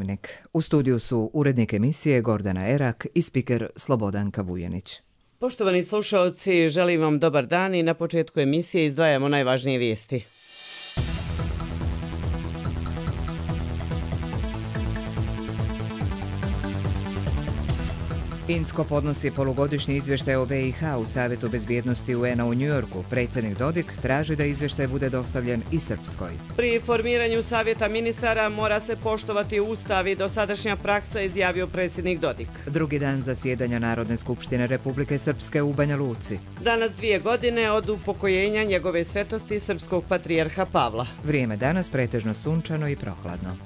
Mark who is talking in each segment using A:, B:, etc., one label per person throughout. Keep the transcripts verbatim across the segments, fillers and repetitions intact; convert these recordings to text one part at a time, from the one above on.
A: Dnevnik. U studiju su urednik emisije Gordana Erak i spiker Slobodanka Vujanić.
B: Poštovani slušalci, želim vam dobar dan i na početku emisije izdvajamo najvažnije vijesti.
A: Insko podnosi polugodišnji izvještaj o B i H u Savjetu bezbjednosti U N-a u Njujorku. Predsjednik Dodik traži da izvještaj bude dostavljen i Srpskoj.
B: Pri formiranju Savjeta ministara mora se poštovati Ustav i dosadašnja praksa, izjavio predsjednik Dodik.
A: Drugi dan zasjedanja Narodne skupštine Republike Srpske u Banja Luci.
B: Danas dvije godine od upokojenja njegove svetosti srpskog patrijarha Pavla.
A: Vrijeme danas pretežno sunčano i prohladno.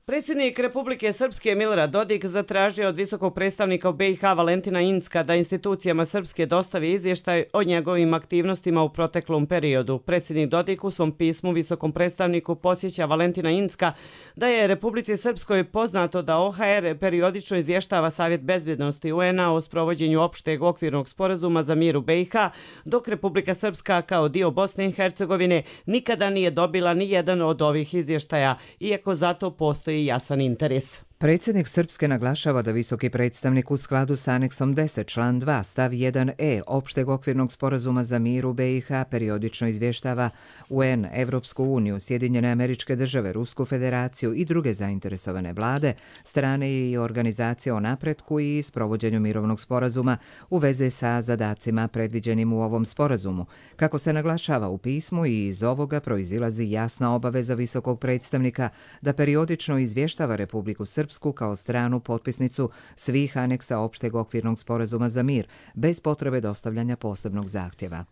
B: Predsjednik Republike Srpske Milorad Dodik zatražio od visokog predstavnika u B i H Valentina Incka da institucijama Srpske dostavi izvještaj o njegovim aktivnostima u proteklom periodu. Predsjednik Dodik u svom pismu visokom predstavniku podsjeća Valentina Incka da je Republici Srpskoj poznato da O H R periodično izvještava Savjet bezbjednosti U N-a o sprovođenju opšteg okvirnog sporazuma za mir u B i H, dok Republika Srpska kao dio Bosne i Hercegovine nikada nije dobila ni jedan od ovih izvještaja, iako zato postoji jasan interes.
A: Predsjednik Srpske naglašava da visoki predstavnik u skladu s aneksom deset član dva stav jedan e opšteg okvirnog sporazuma za mir u B i H periodično izvještava U N, Evropsku uniju, Sjedinjene Američke Države, Rusku federaciju i druge zainteresovane vlade, strane i organizacije o napretku i sprovođenju mirovnog sporazuma u vezi sa zadacima predviđenim u ovom sporazumu. Kako se naglašava u pismu, i iz ovoga proizilazi jasna obaveza visokog predstavnika da periodično izvještava Republiku Srpsku kao stranu potpisnicu svih aneksa opšteg okvirnog sporazuma za mir, bez potrebe dostavljanja posebnog zahtjeva.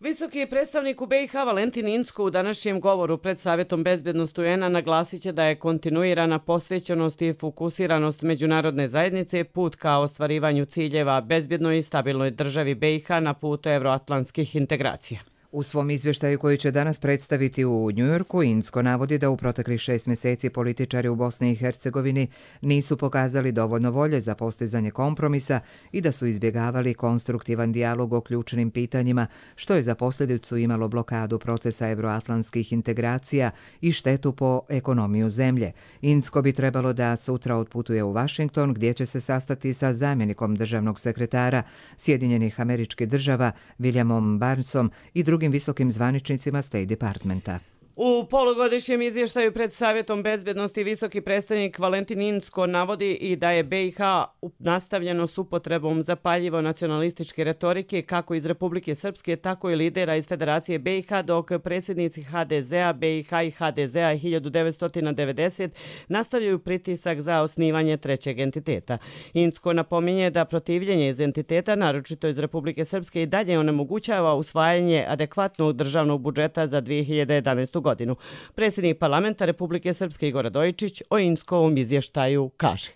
B: Visoki predstavnik u B i H Valentin Incko u današnjem govoru pred Savjetom bezbjednosti U N-a naglasit će da je kontinuirana posvećenost i fokusiranost međunarodne zajednice put ka ostvarivanju ciljeva bezbjednoj i stabilnoj državi B i H na putu evroatlantskih integracija.
A: U svom izvještaju koji će danas predstaviti u Njujorku, Incko navodi da u proteklih šest mjeseci političari u Bosni i Hercegovini nisu pokazali dovoljno volje za postizanje kompromisa i da su izbjegavali konstruktivan dijalog o ključnim pitanjima, što je za posljedicu imalo blokadu procesa evroatlantskih integracija i štetu po ekonomiju zemlje. Incko bi trebalo da sutra otputuje u Washington, gdje će se sastati sa zamjenikom državnog sekretara Sjedinjenih Američkih Država Williamom Barnesom i drugim visokim zvaničnicima State Departmenta.
B: U polugodišnjem izvještaju pred Savjetom bezbjednosti visoki predstavnik Valentin Incko navodi i da je B i H nastavljeno s upotrebom zapaljivo nacionalističke retorike kako iz Republike Srpske, tako i lidera iz Federacije B i H, dok predsjednici H D Z-a, B i H i H D Z-a hiljadu devetsto devedeset nastavljaju pritisak za osnivanje trećeg entiteta. Incko napominje da protivljenje iz entiteta, naročito iz Republike Srpske, i dalje onemogućava usvajanje adekvatnog državnog budžeta za dvije hiljade jedanaestu. godinu. Predsjednik parlamenta Republike Srpske Igor Radojičić o Inckovom izvještaju kaže: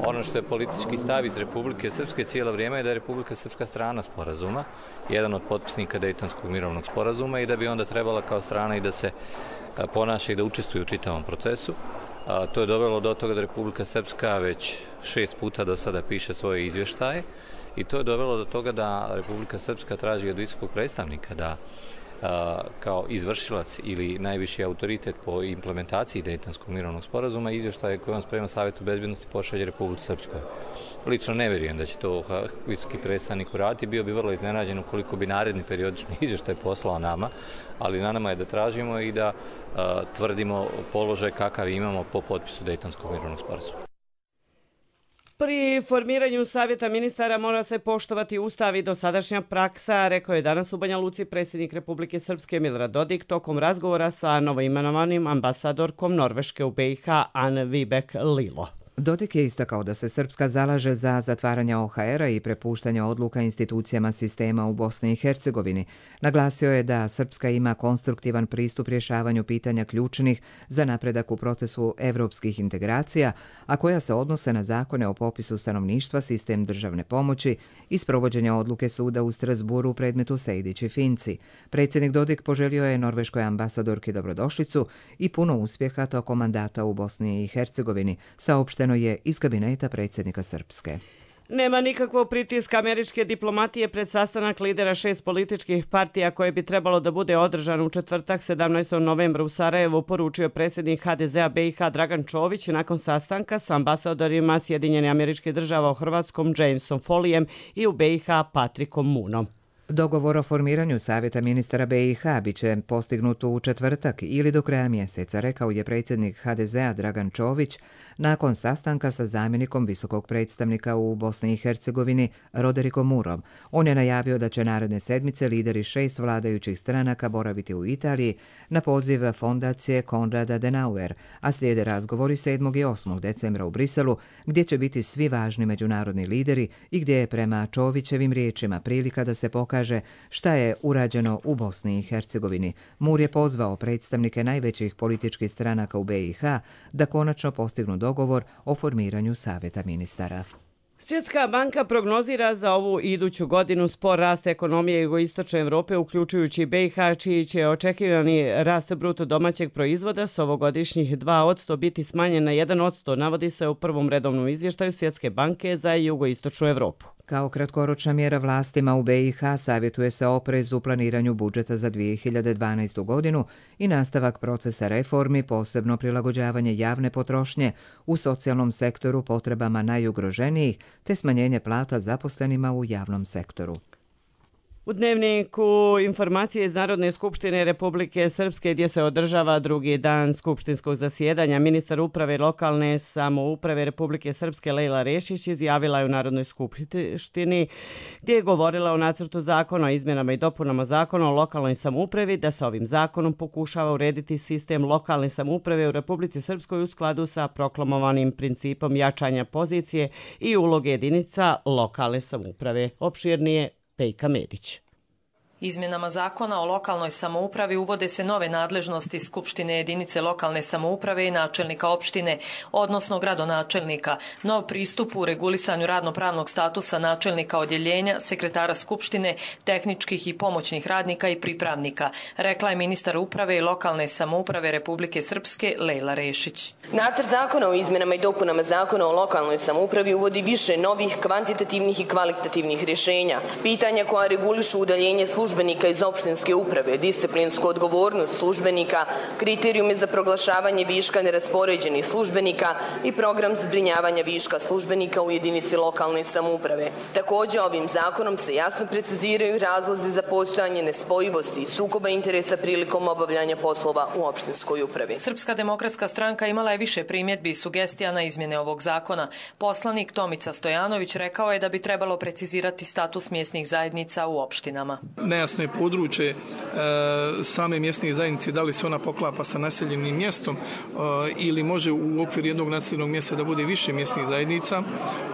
C: Ono što je politički stav iz Republike Srpske cijelo vrijeme je da je Republika Srpska strana sporazuma, jedan od potpisnika Dejtonskog mirovnog sporazuma, i da bi onda trebala kao strana i da se ponaša i da učestvuje u čitavom procesu. A, to je dovelo do toga da Republika Srpska već šest puta do sada piše svoje izvještaje, i to je dovelo do toga da Republika Srpska traži od visokog predstavnika da kao izvršilac ili najviši autoritet po implementaciji Dejtonskog mirovnog sporazuma izvještaje koje on sprema Savjetu bezbjednosti pošalje Republici Srpskoj. Lično ne vjerujem da će to visoki predstavnik uraditi, bio bi vrlo iznenađen ukoliko bi naredni periodični izvještaj poslao nama, ali na nama je da tražimo i da a, tvrdimo položaj kakav imamo po potpisu Dejtonskog mirovnog sporazuma.
B: Pri formiranju Savjeta ministara mora se poštovati Ustav i dosadašnja praksa, rekao je danas u Banja Luci predsjednik Republike Srpske Milorad Dodik tokom razgovora sa novoimenovanim ambasadorkom Norveške u B i H Anne Vibeke Lilo.
A: Dodik je istakao da se Srpska zalaže za zatvaranje O H R-a i prepuštanje odluka institucijama sistema u Bosni i Hercegovini. Naglasio je da Srpska ima konstruktivan pristup rješavanju pitanja ključnih za napredak u procesu evropskih integracija, a koja se odnose na zakone o popisu stanovništva, sistem državne pomoći i sprovođenja odluke suda u Strasburu u predmetu Sejdić i Finci. Predsjednik Dodik poželio je norveškoj ambasadorki dobrodošlicu i puno uspjeha tokom mandata u Bosni i Hercegovini, saopšteno je iz kabineta predsjednika Srpske.
B: Nema nikakvog pritiska američke diplomatije pred sastanak lidera šest političkih partija koje bi trebalo da bude održan u četvrtak sedamnaestog novembra u Sarajevu, poručio predsjednik ha de zea be i ha Dragan Čović nakon sastanka s ambasadorima Sjedinjenih Američkih Država u Hrvatskom Jamesom Follijem i u be i ha Patrickom Moonom.
A: Dogovor o formiranju Savjeta ministara be i ha biće postignut u četvrtak ili do kraja mjeseca, rekao je predsjednik ha de zea Dragan Čović nakon sastanka sa zamjenikom visokog predstavnika u Bosni i Hercegovini Roderikom Moorom. On je najavio da će naredne sedmice lideri šest vladajućih stranaka boraviti u Italiji na poziv fondacije Konrada Adenauer, a slijede razgovori sedmog i osmog decembra u Briselu, gdje će biti svi važni međunarodni lideri i gdje je prema Čovićevim riječima prilika da se pokaže šta je urađeno u Bosni i Hercegovini. Moore je pozvao predstavnike najvećih političkih stranaka u be i ha da konačno postignu dogovor o formiranju Savjeta ministara.
B: Svjetska banka prognozira za ovu iduću godinu spor rast ekonomije jugoistočne Evrope, uključujući be i ha, čiji će očekivani rast bruto domaćeg proizvoda s ovogodišnjih dva posto biti smanjen na jedan posto, navodi se u prvom redovnom izvještaju Svjetske banke za jugoistočnu Evropu.
A: Kao kratkoročna mjera vlastima u be i ha savjetuje se oprez u planiranju budžeta za dvije hiljade dvanaestu godinu i nastavak procesa reformi, posebno prilagođavanje javne potrošnje u socijalnom sektoru potrebama najugroženijih, te smanjenje plata zaposlenima u javnom sektoru.
B: U dnevniku informacije iz Narodne skupštine Republike Srpske, gdje se održava drugi dan skupštinskog zasjedanja, ministar uprave lokalne samouprave Republike Srpske Lejla Rešić izjavila je u Narodnoj skupštini, gdje je govorila o nacrtu zakona o izmjenama i dopunama zakona o lokalnoj samoupravi, da se ovim zakonom pokušava urediti sistem lokalne samouprave u Republici Srpskoj u skladu sa proklamovanim principom jačanja pozicije i uloge jedinica lokalne samouprave. Opširnije Pejka Medić.
D: Izmjenama zakona o lokalnoj samoupravi uvode se nove nadležnosti Skupštine jedinice lokalne samouprave i načelnika opštine, odnosno gradonačelnika, nov pristup u regulisanju radnopravnog statusa načelnika odjeljenja, sekretara Skupštine, tehničkih i pomoćnih radnika i pripravnika, rekla je ministar uprave i lokalne samouprave Republike Srpske Lejla Rešić.
E: Nacrt zakona o izmjenama i dopunama zakona o lokalnoj samoupravi uvodi više novih kvantitativnih i kvalitativnih rješenja, pitanja koja regulišu udaljenje službenika službenika iz opštinske uprave, disciplinsku odgovornost službenika, kriterijume za proglašavanje viška neraspoređenih službenika i program zbrinjavanja viška službenika u jedinici lokalne samouprave. Također, ovim zakonom se jasno preciziraju razlozi za postojanje nespojivosti i sukoba interesa prilikom obavljanja poslova u opštinskoj upravi.
D: Srpska demokratska stranka imala je više primjedbi i sugestija na izmjene ovog zakona. Poslanik Tomica Stojanović rekao je da bi trebalo precizirati status mjesnih zajednica u opštinama.
F: Nejasno je područje e, same mjesne zajednice, da li se ona poklapa sa naseljenim mjestom e, ili može u okviru jednog naseljenog mjesta da bude više mjesnih zajednica.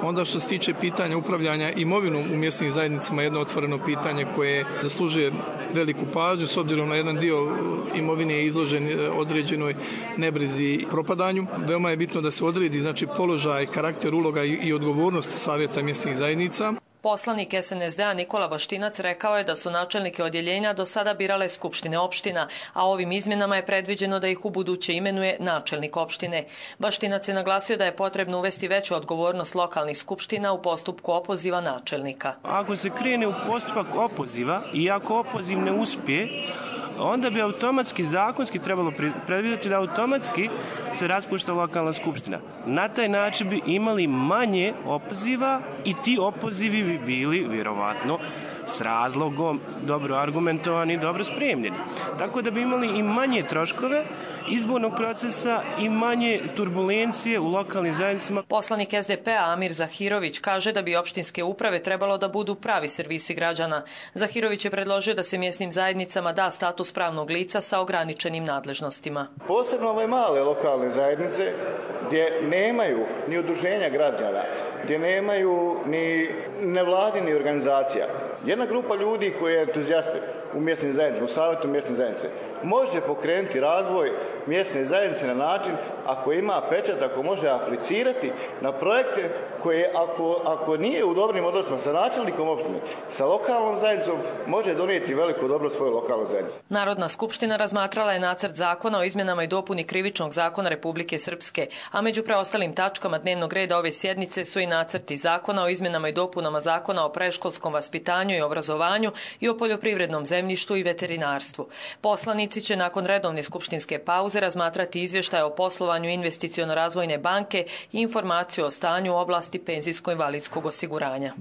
F: Onda što se tiče pitanja upravljanja imovinom u mjesnim zajednicama, jedno otvoreno pitanje koje zaslužuje veliku pažnju s obzirom na jedan dio imovine je izložen određenoj nebrizi i propadanju. Veoma je bitno da se odredi znači položaj, karakter, uloga i, i odgovornost savjeta mjesnih zajednica.
D: Poslanik es en es de a Nikola Baštinac rekao je da su načelnike odjeljenja do sada birale skupštine opština, a ovim izmjenama je predviđeno da ih u buduće imenuje načelnik opštine. Baštinac je naglasio da je potrebno uvesti veću odgovornost lokalnih skupština u postupku opoziva načelnika.
G: Ako se krene u postupak opoziva i ako opoziv ne uspije, onda bi automatski, zakonski trebalo predvidjeti da automatski se raspušta lokalna skupština. Na taj način bi imali manje opoziva i ti opozivi bi bili vjerovatno s razlogom dobro argumentovani i dobro spremljeni. Tako da bi imali i manje troškove izbornog procesa i manje turbulencije u lokalnim zajednicama.
D: Poslanik es de pe a Amir Zahirović kaže da bi opštinske uprave trebalo da budu pravi servisi građana. Zahirović je predložio da se mjesnim zajednicama da status pravnog lica sa ograničenim nadležnostima.
H: Posebno ove male lokalne zajednice gdje nemaju ni udruženja građana, gdje nemaju ni nevladini organizacija. Jedna grupa ljudi koji je entuzijasti u mjesnim zajednicama, u savjetu mjesne zajednice, može pokrenuti razvoj mjesne zajednice na način ako ima pečat, ako može aplicirati na projekte koje ako, ako nije u dobrim odnosima sa načelnikom opštine, sa lokalnom zajednicom, može donijeti veliko dobro svojoj lokalnoj zajednici.
D: Narodna skupština razmatrala je nacrt zakona o izmjenama i dopuni Krivičnog zakona Republike Srpske, a među preostalim tačkama dnevnog reda ove sjednice su i nacrti zakona o izmjenama i dopunama zakona o predškolskom vaspitanju i obrazovanju i o poljoprivrednom zemljištu i veterinarstvu. Poslanici će nakon redovne skupštinske pauze razmatrati izvještaj o poslovanju Investiciono-razvojne banke i informaciju o stanju u oblasti penzijsko-invalidskog osiguranja.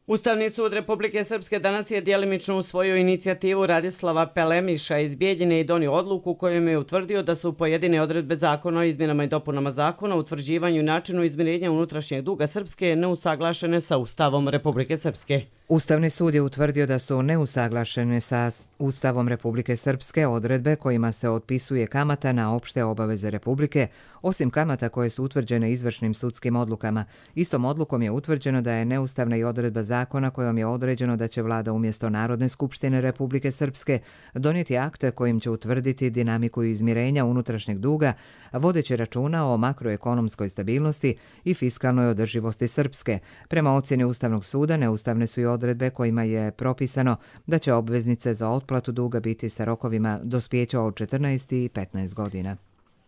B: Ustavni sud Republike Srpske danas je djelimično usvojio inicijativu Radislava Pelemiša iz Bijeljine i donio odluku kojom je utvrdio da su pojedine odredbe zakona o izmjenama i dopunama zakona o utvrđivanju i načinu izmirenja unutrašnjeg duga Srpske neusaglašene sa Ustavom Republike Srpske.
A: Ustavni sud je utvrdio da su neusaglašene sa Ustavom Republike Srpske odredbe kojima se otpisuje kamata na opšte obaveze Republike, osim kamata koje su utvrđene izvršnim sudskim odlukama. Istom odlukom je utvrđeno da je neustavna i odredba zakona kojom je određeno da će vlada umjesto Narodne skupštine Republike Srpske donijeti akte kojim će utvrditi dinamiku izmirenja unutrašnjeg duga, vodeći računa o makroekonomskoj stabilnosti i fiskalnoj održivosti Srpske. Prema ocjeni Ustavnog suda, neustavne su i odredbe kojima je propisano da će obveznice za otplatu duga biti sa rokovima dospijeća od četrnaest i petnaest godina.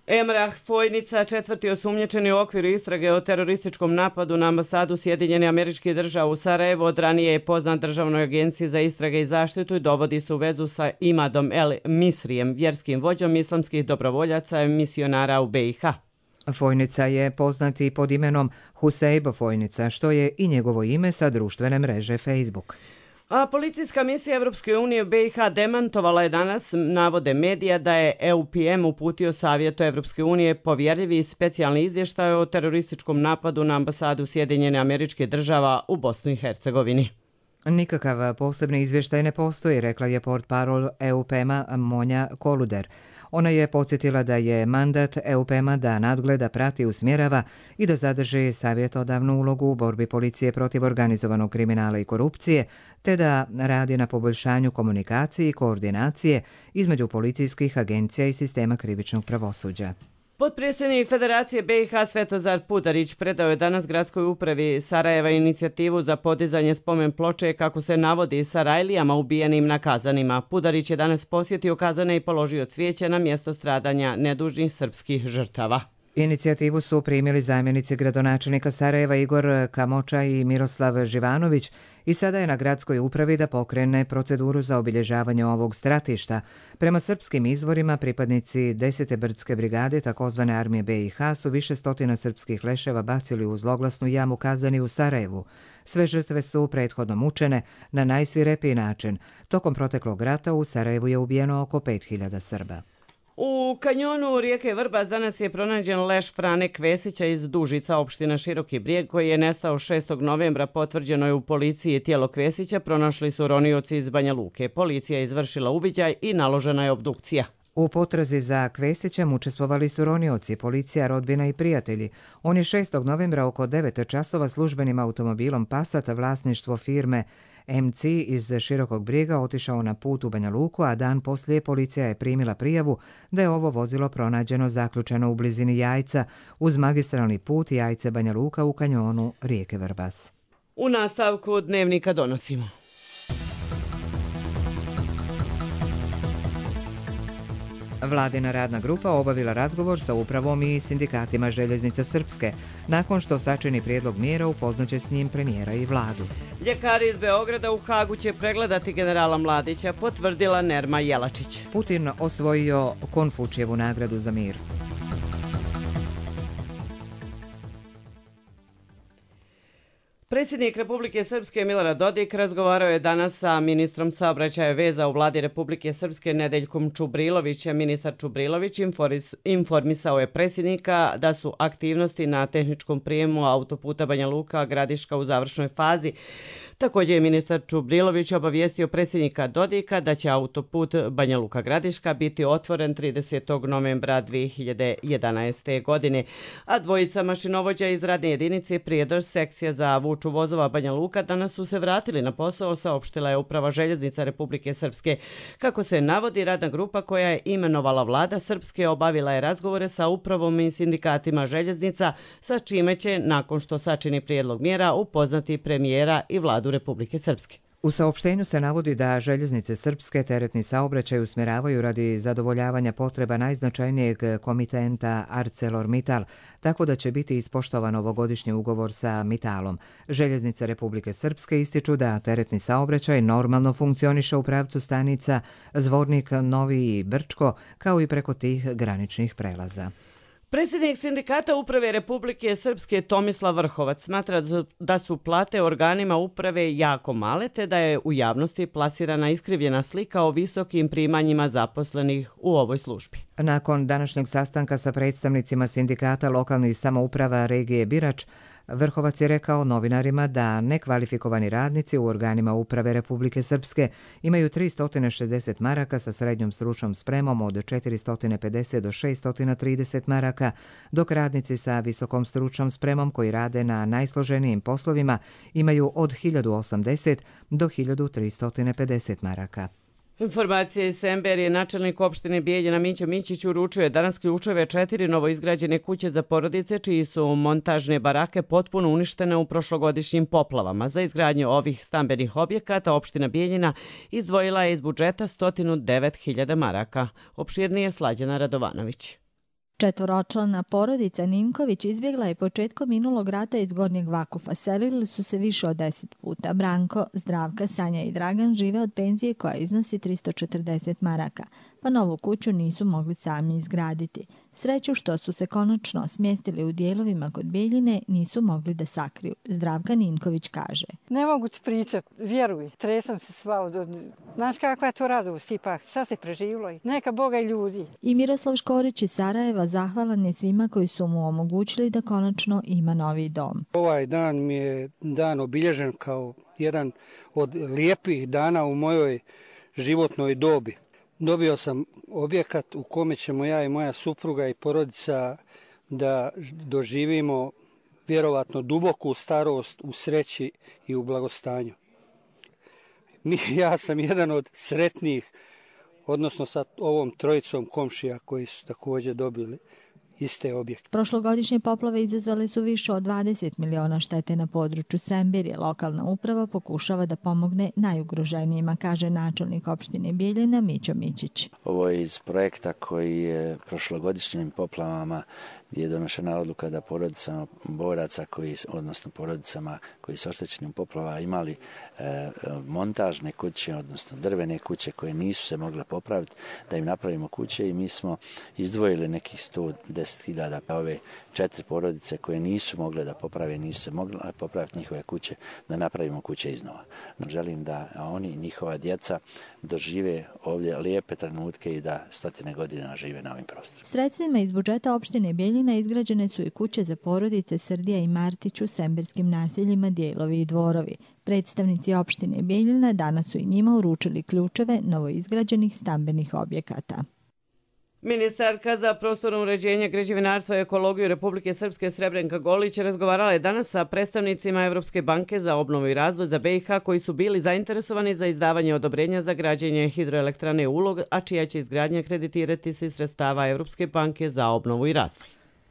B: Emrah Fojnica, četvrti osumnjičeni u okviru istrage o terorističkom napadu na ambasadu Sjedinjenih Američkih Država u Sarajevu, od ranije je poznat Državnoj agenciji za istrage i zaštitu i dovodi se u vezu sa Imadom El Misrijem, vjerskim vođom islamskih dobrovoljaca i misionara u B i H.
A: Fojnica je poznat i pod imenom Husejb Fojnica, što je i njegovo ime sa društvene mreže Facebook.
B: A policijska misija Evropske unije u B i H demantovala je danas navode medija da je E U P M uputio Savjetu Evropske unije povjerljivi i specijalni izvještaj o terorističkom napadu na ambasadu Sjedinjene Američke Država u Bosni i Hercegovini.
A: Nikakav posebni izvještaj ne postoji, rekla je portparol E U P M-a Monja Koluder. Ona je podsjetila da je mandat E U P M-a da nadgleda, prati, usmjerava i da zadrži savjetodavnu ulogu u borbi policije protiv organizovanog kriminala i korupcije, te da radi na poboljšanju komunikacije i koordinacije između policijskih agencija i sistema krivičnog pravosuđa.
B: Potpredsjednik Federacije B i H Svetozar Pudarić predao je danas gradskoj upravi Sarajeva inicijativu za podizanje spomen ploče, kako se navodi, Sarajlijama ubijenim na Kazanima. Pudarić je danas posjetio Kazane i položio cvijeće na mjesto stradanja nedužnih srpskih žrtava.
A: Inicijativu su primili zamjenici gradonačelnika Sarajeva Igor Kamoča i Miroslav Živanović i sada je na gradskoj upravi da pokrene proceduru za obilježavanje ovog stratišta. Prema srpskim izvorima, pripadnici desete brdske brigade, takozvane armije B i H, su više stotina srpskih leševa bacili u zloglasnu jamu Kazani u Sarajevu. Sve žrtve su prethodno mučene na najsvirepiji način. Tokom proteklog rata u Sarajevu je ubijeno oko pet hiljada Srba.
B: U kanjonu rijeke Vrbas danas je pronađen leš Frane Kvesića iz Dužica, opština Široki Brijeg, koji je nestao šestog novembra. Potvrđeno je u policiji. Tijelo Kvesića pronašli su ronioci iz Banja Luke. Policija je izvršila uviđaj i naložena je obdukcija.
A: U potrazi za Kvesićem učestvovali su ronioci, policija, rodbina i prijatelji. On je šestog novembra oko devet časova službenim automobilom Passat, vlasništvo firme M C iz Širokog Brijega, otišao na put u Banja Luku, a dan poslije policija je primila prijavu da je ovo vozilo pronađeno zaključeno u blizini Jajca uz magistralni put Jajce Banja Luka u kanjonu rijeke Vrbas.
B: U nastavku dnevnika donosimo.
A: Vladina radna grupa obavila razgovor sa upravom i sindikatima Željeznica Srpske. Nakon što sačini prijedlog mjera, upoznaće s njim premijera i vladu.
B: Ljekari iz Beograda u Hagu će pregledati generala Mladića, potvrdila Nerma Jelačić.
A: Putin osvojio Konfučijevu nagradu za mir.
B: Predsjednik Republike Srpske Milorad Dodik razgovarao je danas sa ministrom saobraćaja veza u vladi Republike Srpske Nedeljkom Čubrilovićem. Ministar Čubrilović informisao je predsjednika da su aktivnosti na tehničkom prijemu autoputa Banja Luka Gradiška u završnoj fazi. Također je ministar Čubrilović obavijestio predsjednika Dodika da će autoput Banja Luka-Gradiška biti otvoren tridesetog novembra dvije hiljade jedanaeste. godine, a dvojica mašinovođa iz radne jedinice Prijedor sekcija za vuču vozova Banja Luka danas su se vratili na posao, saopštila je Uprava željeznica Republike Srpske. Kako se navodi, radna grupa koja je imenovala vlada Srpske obavila je razgovore sa upravom i sindikatima željeznica, sa čime će, nakon što sačini prijedlog mjera, upoznati premijera i vladu Republike Srpske.
A: U saopštenju se navodi da željeznice Srpske teretni saobraćaj usmjeravaju radi zadovoljavanja potreba najznačajnijeg komitenta ArcelorMittal, tako da će biti ispoštovan ovogodišnji ugovor sa Mittalom. Željeznice Republike Srpske ističu da teretni saobraćaj normalno funkcioniše u pravcu stanica Zvornik, Novi i Brčko, kao i preko tih graničnih prelaza.
B: Predsjednik sindikata uprave Republike Srpske Tomislav Vrhovac smatra da su plate organima uprave jako male, te da je u javnosti plasirana iskrivljena slika o visokim primanjima zaposlenih u ovoj službi.
A: Nakon današnjeg sastanka sa predstavnicima sindikata lokalnih samouprava regije Birač, Vrhovac je rekao novinarima da nekvalifikovani radnici u organima uprave Republike Srpske imaju tristo šezdeset maraka sa srednjom stručnom spremom od četiristo pedeset do šesto trideset maraka, dok radnici sa visokom stručnom spremom koji rade na najsloženijim poslovima imaju od hiljadu osamdeset do hiljadu tristo pedeset maraka.
B: Informacije iz Semberije, načelnik opštine Bijeljina Mićo Mićić uručuje danas ključeve četiri novoizgrađene kuće za porodice, čiji su montažne barake potpuno uništene u prošlogodišnjim poplavama. Za izgradnju ovih stambenih objekata opština Bijeljina izdvojila je iz budžeta sto devet hiljada maraka. Opširnije Slađana Radovanović.
I: Četvoročlana porodica Ninković izbjegla je početkom minulog rata iz Gornjeg Vakufa. Selili su se više od deset puta. Branko, Zdravka, Sanja i Dragan žive od penzije koja iznosi tristo četrdeset maraka, pa novu kuću nisu mogli sami izgraditi. Sreću što su se konačno smjestili u dijelovima kod Bijeljine nisu mogli da sakriju. Zdravka Ninković kaže.
J: Ne mogu ti pričat, vjeruj, tresam se sva od... Znaš kakva je to radost ipak, sad se preživilo i neka Boga i ljudi.
I: I Miroslav Škorić iz Sarajeva zahvalan je svima koji su mu omogućili da konačno ima novi dom.
K: Ovaj dan mi je dan obilježen kao jedan od lijepih dana u mojoj životnoj dobi. Dobio sam objekat u kome ćemo ja i moja supruga i porodica da doživimo vjerovatno duboku starost u sreći i u blagostanju. Mi, ja sam jedan od sretnijih, odnosno sa ovom trojicom komšija koji su također dobili iste objekte.
I: Prošlogodišnje poplave izazvale su više od dvadeset miliona štete na području Semberije. Lokalna uprava pokušava da pomogne najugroženijima, kaže načelnik opštine Bijeljina Mićo Mićić.
L: Ovo je iz projekta koji je prošlogodišnjim poplavama gdje je donošena odluka da porodicama boraca, koji, odnosno porodicama koji su oštećeni u poplavama imali e, montažne kuće, odnosno drvene kuće koje nisu se mogle popraviti, da im napravimo kuće i mi smo izdvojili nekih sto deset hiljada pa ove četiri porodice koje nisu mogle da poprave, nisu se mogle popraviti njihove kuće, da napravimo kuće iznova. No, želim da oni i njihova djeca dožive ovdje lijepe trenutke i da stotine godina žive na ovim prostorima.
I: Sredstvima iz budžeta opštine Bijeljina izgrađene su i kuće za porodice Srdija i Martić u semberskim naseljima Dijelovi i Dvorovi. Predstavnici opštine Bijeljina danas su i njima uručili ključeve novoizgrađenih stambenih objekata.
B: Ministarka za prostorno uređenje, građevinarstvo i ekologiju Republike Srpske Srebrenka Golić razgovarala je danas sa predstavnicima Evropske banke za obnovu i razvoj za B i H koji su bili zainteresovani za izdavanje odobrenja za građenje hidroelektrane Ulog, a čija će izgradnja kreditirati se iz sredstava Evropske banke za obnovu i razvoj.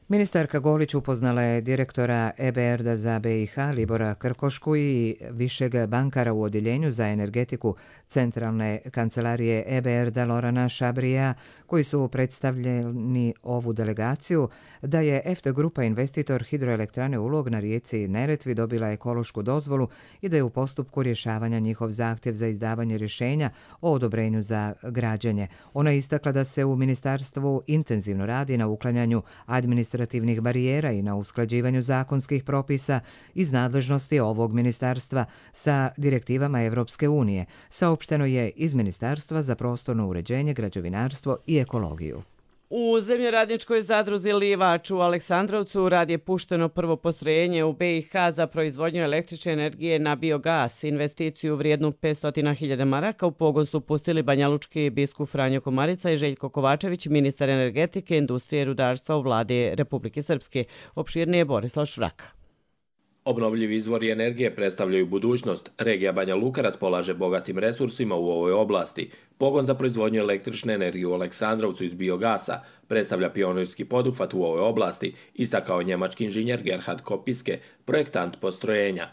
A: Ministarka Golić upoznala je direktora E B R D-a za B i H Libora Krkošku i višeg bankara u odjeljenju za energetiku Centralne kancelarije E B R D-a Lorana Šabrija, koji su predstavljeni ovu delegaciju, da je E F T Grupa investitor hidroelektrane Ulog na rijeci Neretvi dobila ekološku dozvolu i da je u postupku rješavanja njihov zahtjev za izdavanje rješenja o odobrenju za građenje. Ona je istakla da se u ministarstvu intenzivno radi na uklanjanju administrativnih administrativnih barijera i na usklađivanju zakonskih propisa iz nadležnosti ovog ministarstva sa direktivama Evropske unije, saopšteno je iz Ministarstva za prostorno uređenje, građevinarstvo i ekologiju.
B: U zemljoradničkoj zadruzi Livač u Aleksandrovcu rad je pušteno prvo postrojenje u B i H za proizvodnju električne energije na biogas. Investiciju vrijednu petsto hiljada maraka u pogon su pustili banjalučki biskup Franjo Komarica i Željko Kovačević, ministar energetike, industrije i rudarstva u vladi Republike Srpske. Opširnije Borislav Švraka.
M: Obnovljivi izvori energije predstavljaju budućnost. Regija Banja Luka raspolaže bogatim resursima u ovoj oblasti. Pogon za proizvodnju električne energije u Aleksandrovcu iz biogasa predstavlja pionirski poduhvat u ovoj oblasti, istakao njemački inženjer Gerhard Kopiske, projektant postrojenja.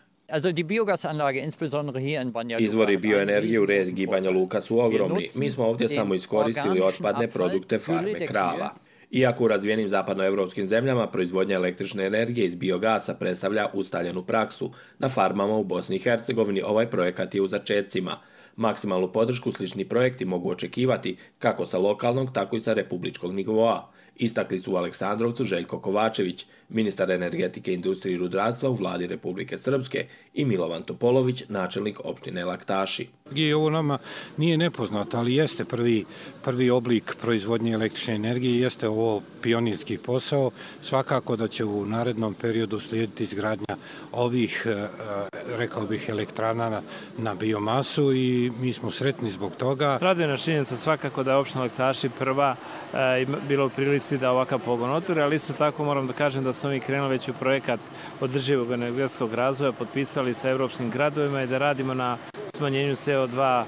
M: Izvori bioenergije u regiji Banja Luka su ogromni. Mi smo ovdje samo iskoristili otpadne produkte farme krava. Iako u razvijenim zapadnoevropskim zemljama proizvodnja električne energije iz biogasa predstavlja ustaljenu praksu, na farmama u Bosni i Hercegovini ovaj projekat je u začecima. Maksimalnu podršku slični projekti mogu očekivati kako sa lokalnog, tako i sa republičkog nivoa. Istakli su u Aleksandrovcu Željko Kovačević, ministar energetike, industrije i rudarstva u vladi Republike Srpske, i Milovan Topolović, načelnik opštine Laktaši.
N: Ovo nama nije nepoznato, ali jeste prvi, prvi oblik proizvodnje električne energije, jeste ovo pionirski posao. Svakako da će u narednom periodu slijediti izgradnja ovih, rekao bih, elektrana na, na biomasu i mi smo sretni zbog toga.
O: Raduje nas činjenica svakako da je opština Laktaši prva e, bilo u prilici da ovakav pogon otvori, ali isto tako moram da kažem da smo mi krenuli već u projekat održivog energetskog razvoja, potpisali sa evropskim gradovima i da radimo na smanjenju C O dva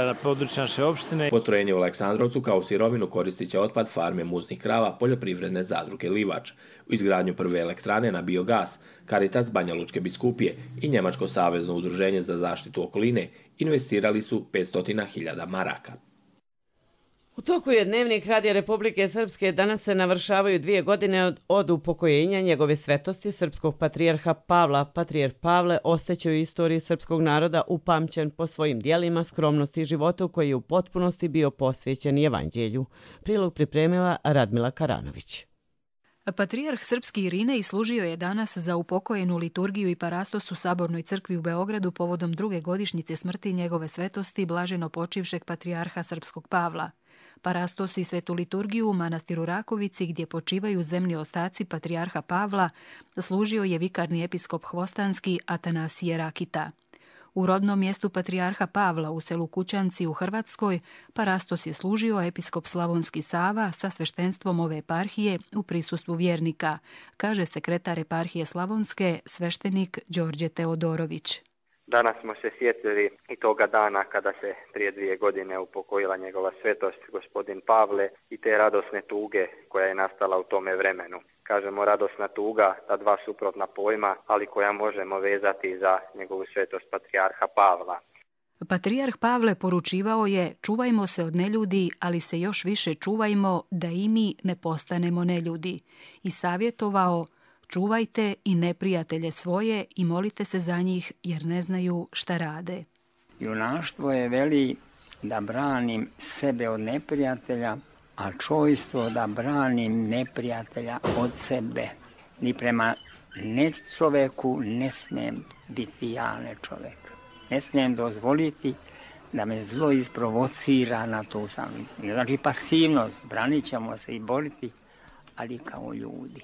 O: na području naše opštine.
M: Postrojenje u Aleksandrovcu kao sirovinu koristit će otpad farme muznih krava poljoprivredne zadruge Livač. U izgradnju prve elektrane na biogas Caritas Banjalučke biskupije i Njemačko savezno udruženje za zaštitu okoline investirali su petsto hiljada maraka.
B: U toku je Dnevnik Radija Republike Srpske. Danas se navršavaju dvije godine od, od upokojenja njegove svetosti srpskog patrijarha Pavla. Patrijarh Pavle ostaće u istoriji srpskog naroda upamćen po svojim dijelima, skromnosti i životu koji je u potpunosti bio posvećen evanđelju. Prilog pripremila Radmila Karanović.
P: Patrijarh srpski Irinej služio je danas za upokojenu liturgiju i parastos u Sabornoj crkvi u Beogradu povodom druge godišnjice smrti njegove svetosti blaženo počivšeg patrijarha srpskog Pavla. Parastos i svetu liturgiju u manastiru Rakovici, gdje počivaju zemni ostaci patrijarha Pavla, služio je vikarni episkop Hvostanski Atanasije Rakita. U rodnom mjestu patrijarha Pavla u selu Kućanci u Hrvatskoj parastos je služio episkop Slavonski Sava sa sveštenstvom ove eparhije u prisustvu vjernika, kaže sekretar eparhije Slavonske, sveštenik Đorđe Teodorović.
Q: Danas smo se sjetili i toga dana kada se prije dvije godine upokojila njegova svetost gospodin Pavle i te radosne tuge koja je nastala u tome vremenu. Kažemo radosna tuga, ta dva suprotna pojma, ali koja možemo vezati za njegovu svetost patrijarha Pavla.
P: Patrijarh Pavle poručivao je: čuvajmo se od neljudi, ali se još više čuvajmo da i mi ne postanemo neljudi. I savjetovao: čuvajte i neprijatelje svoje i molite se za njih jer ne znaju šta rade.
R: Junaštvo je, veli, da branim sebe od neprijatelja, a čojstvo da branim neprijatelja od sebe. Ni prema ne čoveku ne smijem biti ja ne čovek. Ne smijem dozvoliti da me zlo isprovocira na tu sam. Znači pasivnost, branit ćemo se i boriti, ali kao ljudi.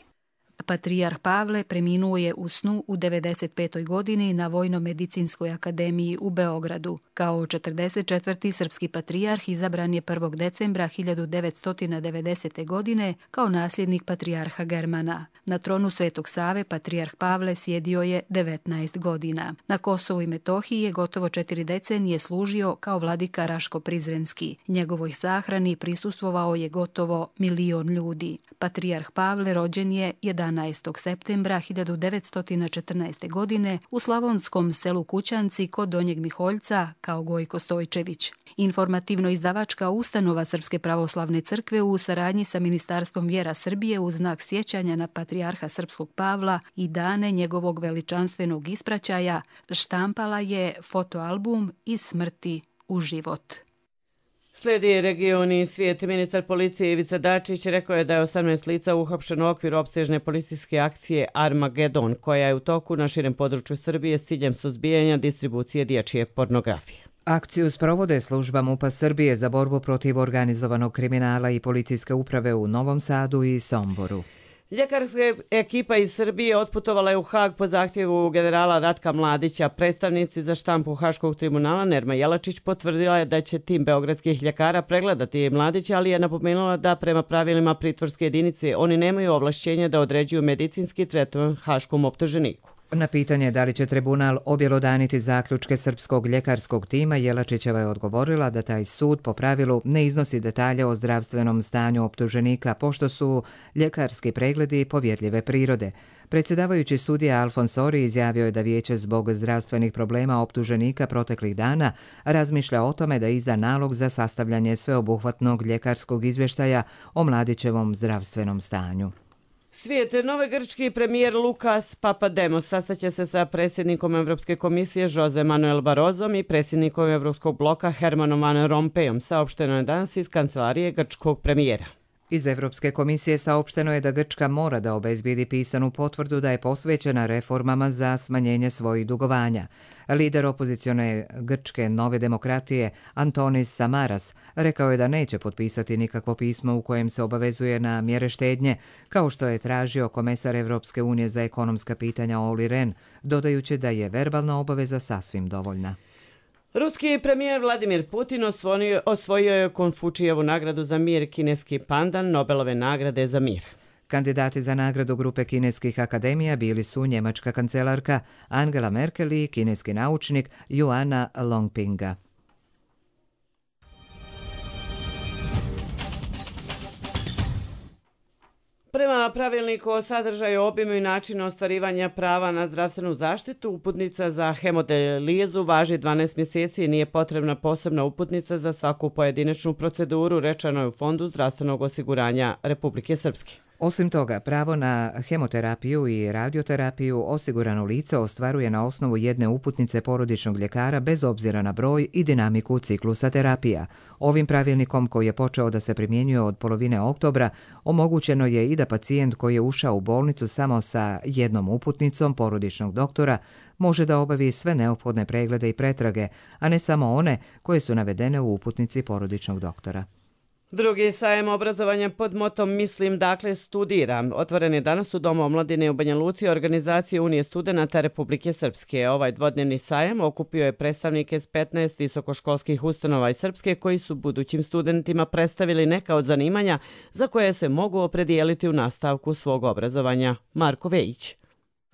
P: Patrijarh Pavle preminuo je u snu u devedeset petoj godini na Vojno-medicinskoj akademiji u Beogradu. Kao četrdeset četvrti srpski patrijarh izabran je prvog decembra hiljadu devetsto devedesete. godine kao nasljednik patrijarha Germana. Na tronu Svetog Save patrijarh Pavle sjedio je devetnaest godina. Na Kosovu i Metohiji je gotovo četiri decenije služio kao vladika Raško-Prizrenski. Njegovoj sahrani prisustvovao je gotovo milion ljudi. Patrijarh Pavle rođen je jedanaestog septembra hiljadu devetsto četrnaeste. godine u slavonskom selu Kućanci kod Donjeg Miholjca kao Gojko Stojčević. Informativno-izdavačka ustanova Srpske pravoslavne crkve u saradnji sa Ministarstvom vjera Srbije u znak sjećanja na patrijarha srpskog Pavla i dane njegovog veličanstvenog ispraćaja štampala je fotoalbum Iz smrti u život.
B: Slijedi regioni svijet. Ministar policije Ivica Dačić rekao je da je osamnaest lica uhapšeno u okviru opsežne policijske akcije Armagedon, koja je u toku na širem području Srbije s ciljem suzbijanja distribucije dječje pornografije.
A: Akciju sprovode služba MUP-a Srbije za borbu protiv organizovanog kriminala i policijske uprave u Novom Sadu i Somboru.
B: Ljekarska ekipa iz Srbije otputovala je u Hag po zahtjevu generala Ratka Mladića. Predstavnici za štampu Haškog tribunala Nerma Jelačić potvrdila je da će tim beogradskih ljekara pregledati Mladića, ali je napomenula da prema pravilima pritvorske jedinice oni nemaju ovlašćenja da određuju medicinski tretman haškom optuženiku.
A: Na pitanje da li će tribunal objelodaniti zaključke srpskog ljekarskog tima, Jelačićeva je odgovorila da taj sud po pravilu ne iznosi detalje o zdravstvenom stanju optuženika, pošto su ljekarski pregledi povjerljive prirode. Predsjedavajući sudija Alfons Ori izjavio je da vijeće zbog zdravstvenih problema optuženika proteklih dana razmišlja o tome da izda nalog za sastavljanje sveobuhvatnog ljekarskog izvještaja o Mladićevom zdravstvenom stanju.
B: Svijet, novi grčki premijer Lukas Papademos sastaće se sa predsjednikom Evropske komisije Jose Manuel Barrozom i predsjednikom Evropskog bloka Hermanom Van Rompuyom, saopšteno je danas iz kancelarije grčkog premijera.
A: Iz Evropske komisije saopšteno je da Grčka mora da obezbijedi pisanu potvrdu da je posvećena reformama za smanjenje svojih dugovanja. Lider opozicione grčke Nove demokratije Antonis Samaras rekao je da neće potpisati nikakvo pismo u kojem se obavezuje na mjere štednje, kao što je tražio komesar Evropske unije za ekonomska pitanja Olli Rehn, dodajući da je verbalna obaveza sasvim dovoljna.
B: Ruski premijer Vladimir Putin osvojio, osvojio je Konfučijevu nagradu za mir, kineski pandan Nobelove nagrade za mir.
A: Kandidati za nagradu grupe kineskih akademija bili su njemačka kancelarka Angela Merkel i kineski naučnik Yuana Longpinga.
B: Prema pravilniku o sadržaju, obimu i načinu ostvarivanja prava na zdravstvenu zaštitu, uputnica za hemodijalizu važi dvanaest mjeseci i nije potrebna posebna uputnica za svaku pojedinačnu proceduru, rečeno je u Fondu zdravstvenog osiguranja Republike Srpske.
A: Osim toga, pravo na hemoterapiju i radioterapiju osigurano lice ostvaruje na osnovu jedne uputnice porodičnog ljekara bez obzira na broj i dinamiku ciklusa terapija. Ovim pravilnikom, koji je počeo da se primjenjuje od polovine oktobra, omogućeno je i da pacijent koji je ušao u bolnicu samo sa jednom uputnicom porodičnog doktora može da obavi sve neophodne preglede i pretrage, a ne samo one koje su navedene u uputnici porodičnog doktora.
B: Drugi sajem obrazovanja pod motom Mislim, dakle studiram. Otvoren je danas u Domu omladine u Banja Luci organizacije Unije studenata Republike Srpske. Ovaj dvodnevni sajem okupio je predstavnike s petnaest visokoškolskih ustanova iz Srpske koji su budućim studentima predstavili neka od zanimanja za koje se mogu opredijeliti u nastavku svog obrazovanja. Marko Vejić.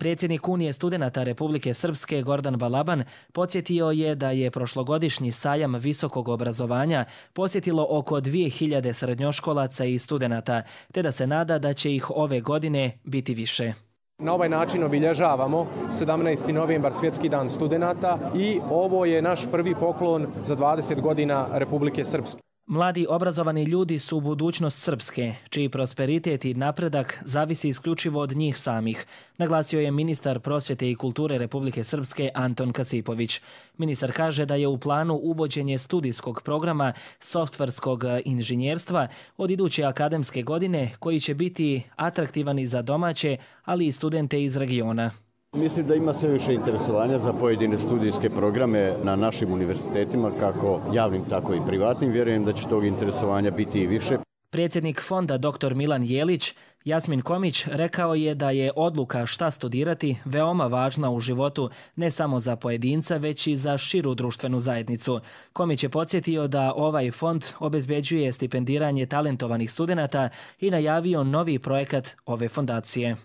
S: Predsjednik Unije studenata Republike Srpske Gordan Balaban podsjetio je da je prošlogodišnji sajam visokog obrazovanja posjetilo oko dvije hiljade srednjoškolaca i studenata, te da se nada da će ih ove godine biti više.
T: Na ovaj način obilježavamo sedamnaesti novembar, Svjetski dan studenata, i ovo je naš prvi poklon za dvadeset godina Republike Srpske.
S: Mladi obrazovani ljudi su budućnost Srpske, čiji prosperitet i napredak zavisi isključivo od njih samih, naglasio je ministar prosvjete i kulture Republike Srpske Anton Kasipović. Ministar kaže da je u planu uvođenje studijskog programa softverskog inženjerstva od iduće akademske godine, koji će biti atraktivan i za domaće, ali i studente iz regiona.
U: Mislim da ima sve više interesovanja za pojedine studijske programe na našim univerzitetima, kako javnim, tako i privatnim. Vjerujem da će tog interesovanja biti i više.
S: Predsjednik fonda doktor Milan Jelić, Jasmin Komić, rekao je da je odluka šta studirati veoma važna u životu ne samo za pojedinca, već i za širu društvenu zajednicu. Komić je podsjetio da ovaj fond obezbeđuje stipendiranje talentovanih studenata i najavio novi projekat ove fondacije.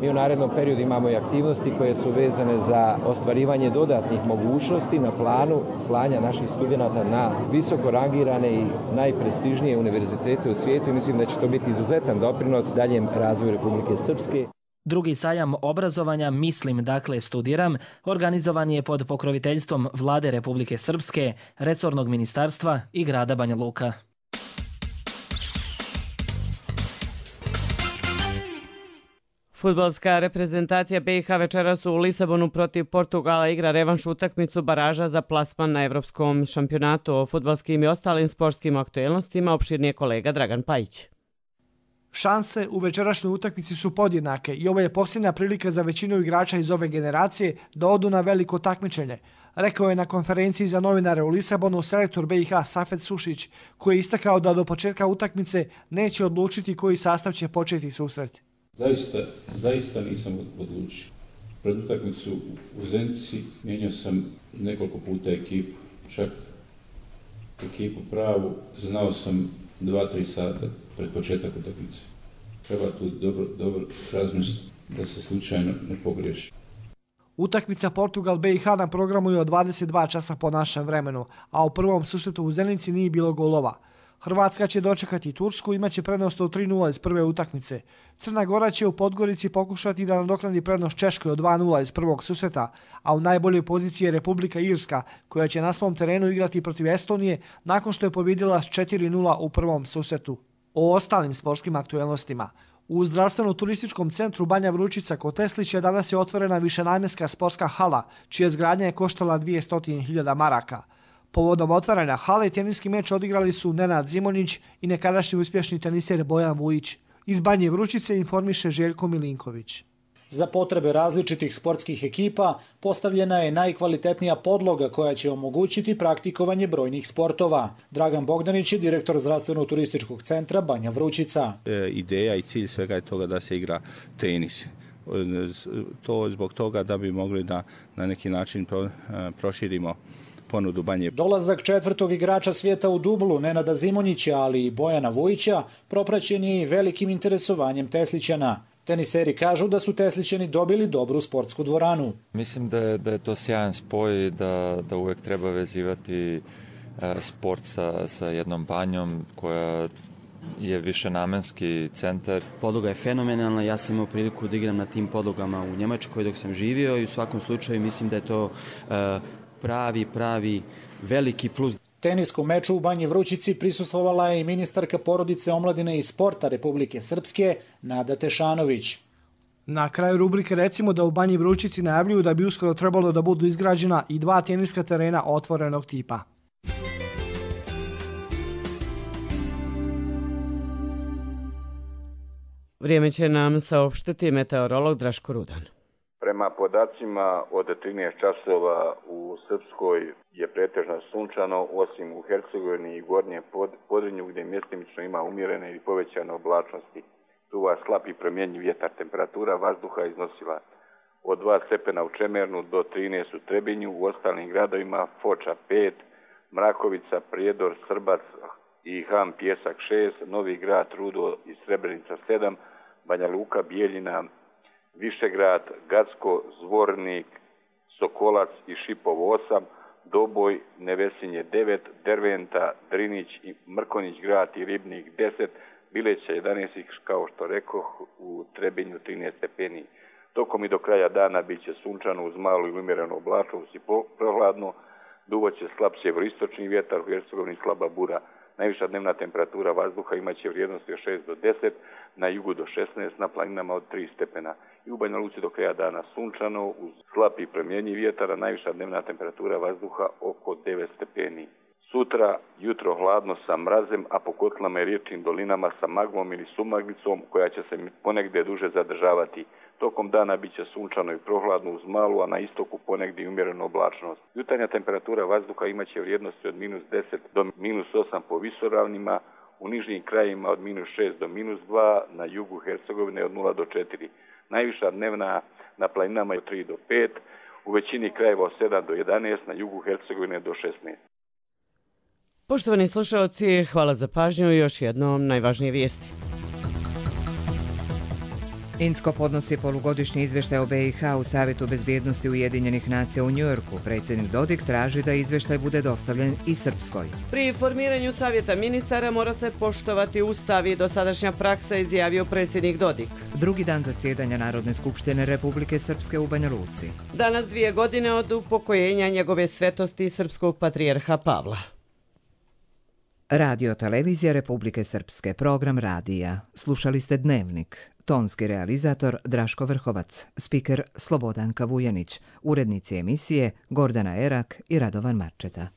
V: Mi u narednom periodu imamo i aktivnosti koje su vezane za ostvarivanje dodatnih mogućnosti na planu slanja naših studenata na visoko rangirane i najprestižnije univerzitete u svijetu i mislim da će to biti izuzetan doprinos daljem razvoju Republike Srpske.
S: Drugi sajam obrazovanja Mislim, dakle studiram, organizovan je pod pokroviteljstvom Vlade Republike Srpske, resornog ministarstva i grada Banja Luka.
B: Fudbalska reprezentacija B i H večeras u Lisabonu protiv Portugala igra revanš utakmicu baraža za plasman na evropskom šampionatu. O fudbalskim i ostalim sportskim aktuelnostima opširnije kolega Dragan Pajić.
W: Šanse u večerašnjoj utakmici su podjednake i ovo je posljednja prilika za većinu igrača iz ove generacije da odu na veliko takmičenje. rekao je na konferenciji za novinare u Lisabonu selektor B i H Safet Sušić, koji je istakao da do početka utakmice neće odlučiti koji sastav će početi susret.
C: Zaista, zaista nisam odlučio. Pred utakmicu u Zenici mijenjao sam nekoliko puta ekipu, čak ekipu pravu, znao sam dva, tri sata pred početak utakmice. Treba tu dobro, dobro razmisliti da se slučajno ne pogriješi.
W: Utakmica Portugal-B i H na programu je od dvadeset dva časa po našem vremenu, a u prvom susretu u Zenici nije bilo golova. Hrvatska će dočekati Tursku, imaće prednost od tri nula iz prve utakmice. Crna Gora će u Podgorici pokušati da nadoknadi prednost Češkoj od dva nula iz prvog susreta, a u najboljoj poziciji je Republika Irska, koja će na svom terenu igrati protiv Estonije nakon što je pobjedila s četiri nula u prvom susretu. O ostalim sportskim aktuelnostima. U zdravstveno-turističkom centru Banja Vručica kod Teslića danas je otvorena višenamjenska sportska hala, čija izgradnja je koštala dvjesto hiljada maraka. Povodom otvaranja hale teniski meč odigrali su Nenad Zimonjić i nekadašnji uspješni teniser Bojan Vujić. Iz Banje Vručice informiše Željko Milinković.
E: Za potrebe različitih sportskih ekipa postavljena je najkvalitetnija podloga koja će omogućiti praktikovanje brojnih sportova. Dragan Bogdanić je direktor zdravstveno-turističkog centra Banja Vručica.
F: E, ideja i cilj svega je toga da se igra tenis. To zbog toga da bi mogli da na neki način pro, proširimo ponudu Banje.
E: Dolazak četvrtog igrača svijeta u dublu, Nenada Zimonjića, ali i Bojana Vujića, propraćen je i velikim interesovanjem Teslićana. Teniseri kažu da su Teslićani dobili dobru sportsku dvoranu.
X: Mislim da je, da je to sjajan spoj, da, da uvijek treba vezivati e, sport sa, sa jednom banjom koja je višenamenski centar.
Y: Podloga je fenomenalna, ja sam imao priliku da igram na tim podlogama u Njemačkoj dok sam živio i u svakom slučaju mislim da je to e, pravi, pravi veliki plus.
E: Teniskom meču u Banji Vrućici prisustvovala je i ministarka porodice, omladine i sporta Republike Srpske, Nada Tešanović.
W: Na kraju rubrike recimo da u Banji Vrućici najavljuju da bi uskoro trebalo da budu izgrađena i dva teniska terena otvorenog tipa.
B: Vrijeme će nam saopštiti meteorolog Draško Rudan.
Z: Prema podacima od trinaest časova u Srpskoj je pretežno sunčano, osim u Hercegovini i Gornjem Podrinju gdje mjestimično ima umjerene ili povećane oblačnosti. Duva slab i promjenjiv vjetar, temperatura vazduha iznosila od dva stepena u Čemernu do trinaest u Trebinju, u ostalim gradovima Foča pet, Mrakovica, Prijedor, Srbac i Ham Pjesak šest, Novi Grad, Rudo i Srebrenica sedam, Banja Luka, Bijeljina, Višegrad, Gacko, Zvornik, Sokolac i Šipov osam, Doboj, Nevesinje devet, Derventa, Drinić i Mrkonjić Grad i Ribnik deset, Bileća jedanaest, kao što rekoh, u Trebinju trinaest stepeni. Tokom i do kraja dana bit će sunčano uz malu i umjerenu oblačnost i prohladno, duvaće slab sjeveroistočni vjetar, u Hercegovini slaba bura. Najviša dnevna temperatura vazduha imaće vrijednosti od šest do deset, na jugu do šesnaest, na planinama od tri stepena. I u Banja Luci do kraja dana sunčano, uz slab i promjenjiv vjetar, a najviša dnevna temperatura vazduha oko devet stepeni. Sutra jutro hladno sa mrazem, a po kotlama i riječnim dolinama sa maglom ili sumaglicom koja će se ponegdje duže zadržavati. Tokom dana bit će sunčano i prohladno uz malu, a na istoku ponegdje umjerenu oblačnost. Jutarnja temperatura vazduha imaće vrijednosti od minus deset do minus osam po visoravnima, u nižnjim krajima od minus šest do minus dva, na jugu Hercegovine od nula do četiri. Najviša dnevna na planinama je od tri do pet, u većini krajeva od sedam do jedanaest, na jugu Hercegovine do šesnaest.
B: Poštovani slušalci, hvala za pažnju i još jednom najvažnije vijesti.
A: Insko podnosi polugodišnji izvještaj o B i H u Savjetu bezbjednosti Ujedinjenih nacija u Njujorku. Predsjednik Dodik traži da izvještaj bude dostavljen i Srpskoj.
B: Pri formiranju Savjeta ministara mora se poštovati Ustav i dosadašnja praksa, izjavio predsjednik Dodik.
A: Drugi dan zasjedanja Narodne skupštine Republike Srpske u Banja Luci.
B: Danas dvije godine od upokojenja njegove svetosti srpskog patrijarha Pavla.
A: Radio Televizija Republike Srpske, program radija. Slušali ste Dnevnik. Tonski realizator Draško Vrhovac, spiker Slobodanka Vujanić, urednici emisije Gordana Erak i Radovan Marčeta.